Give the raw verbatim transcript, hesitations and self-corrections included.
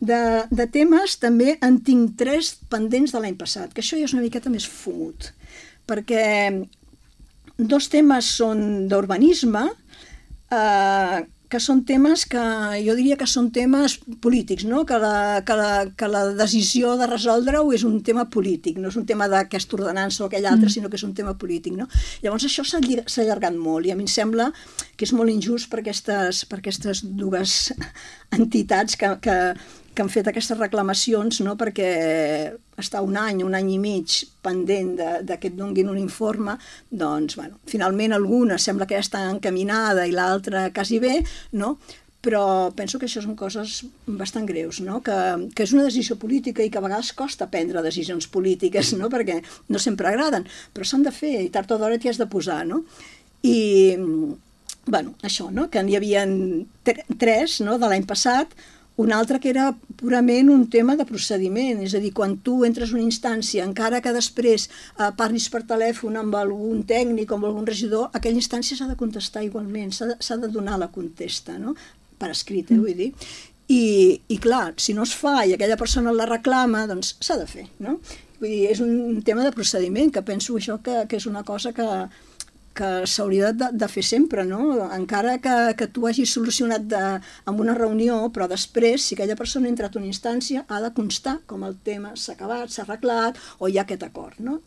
de, de temes també en tinc tres pendents de l'any passat, que això ja és una miqueta més fumut, perquè dos temes són d'urbanisme, eh, que són temes que jo diria que són temes polítics, no? que, la, que, la, que la decisió de resoldre-ho és un tema polític, no és un tema d'aquesta ordenança o aquell altre, mm. sinó que és un tema polític. No? Llavors això s'ha allargat molt i a mi em sembla que és molt injust per aquestes, per aquestes dues entitats que, que, que han fet aquestes reclamacions, no? Perquè està un any, un any i mig pendent de, de que et donguin un informe, doncs, bueno, finalment alguna sembla que ja està encaminada i l'altra quasi bé, no? Però penso que això són coses bastant greus, no? Que, que és una decisió política i que a vegades costa prendre decisions polítiques, no? Perquè no sempre agraden, però s'han de fer i tard o d'hora t'hi has de posar, no? I, bueno, això, no? Que n'hi havia tres, no? De l'any passat, un altre que era purament un tema de procediment, és a dir, quan tu entres a una instància, encara que després eh, parlis per telèfon amb algun tècnic o amb algun regidor, aquella instància s'ha de contestar igualment, s'ha de, s'ha de donar la contesta, no? Per escrit, eh, vull dir. I, I clar, si no es fa i aquella persona la reclama, doncs s'ha de fer, no? Vull dir, és un tema de procediment, que penso això que, que és una cosa que que s'hauria de, de fer sempre, no? Encara que, que tu hagis solucionat de, amb una reunió, però després, si aquella persona ha entrat a una instància, ha de constar com el tema s'ha acabat, s'ha arreglat o hi ha aquest acord, no?